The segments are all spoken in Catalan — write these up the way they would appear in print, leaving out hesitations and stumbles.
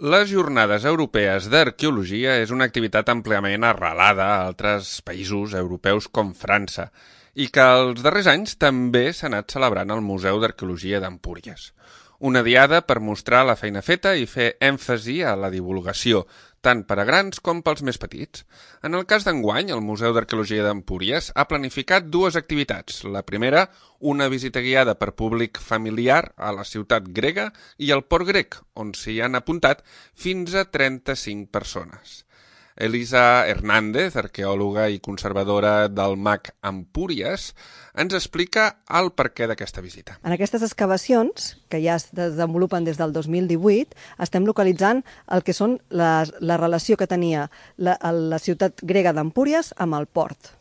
Les Jornades Europees d'Arqueologia és una activitat àmpliament arrelada a altres països europeus com França i que els darrers anys també s'ha anat celebrant al Museu d'Arqueologia d'Empúries. Una diada per mostrar la feina feta i fer èmfasi a la divulgació, tant per a grans com pels més petits. En el cas d'enguany, el Museu d'Arqueologia d'Empúries ha planificat dues activitats. La primera, una visita guiada per públic familiar a la ciutat grega i al port grec, on s'hi han apuntat fins a 35 persones. Elisa Hernández, arqueòloga i conservadora del MAC Empúries, ens explica el perquè d'aquesta visita. En aquestes excavacions, que ja es desenvolupen des del 2018, estem localitzant el que són la relació que tenia la ciutat grega d'Empúries amb el port.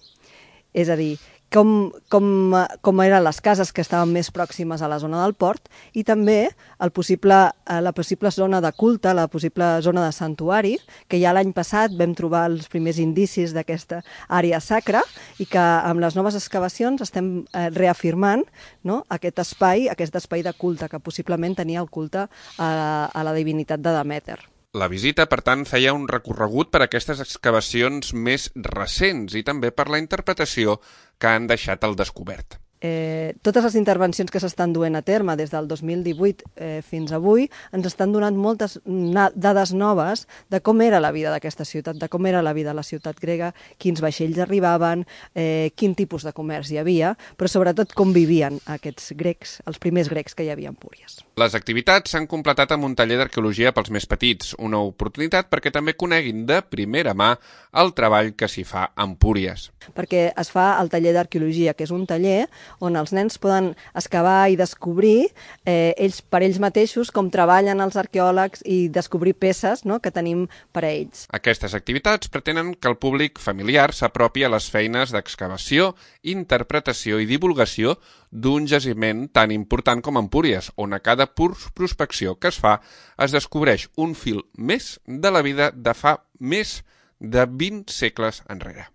És a dir, com eren les cases que estaven més pròximes a la zona del port i també la possible zona de culte, la possible zona de santuari, que ja l'any passat vam trobar els primers indicis d'aquesta àrea sacra i que amb les noves excavacions estem reafirmant, no, aquest espai de culte, que possiblement tenia el culte a la divinitat de Demèter. La visita, per tant, feia un recorregut per aquestes excavacions més recents i també per la interpretació que han deixat al descobert. Totes les intervencions que s'estan duent a terme des del 2018 fins avui ens estan donant moltes dades noves de com era la vida d'aquesta ciutat, de com era la vida a la ciutat grega, quins vaixells arribaven, quin tipus de comerç hi havia, però sobretot com vivien aquests grecs, els primers grecs que hi havia a Empúries. Les activitats s'han completat amb un taller d'arqueologia pels més petits, una oportunitat perquè també coneguin de primera mà el treball que s'hi fa a Empúries. Perquè es fa el taller d'arqueologia, que és un taller on els nens poden excavar i descobrir per ells mateixos com treballen els arqueòlegs i descobrir peces, no, que tenim per a ells. Aquestes activitats pretenen que el públic familiar s'apropi a les feines d'excavació, interpretació i divulgació d'un jaciment tan important com Empúries, on a cada prospecció que es fa es descobreix un fil més de la vida de fa més de 20 segles enrere.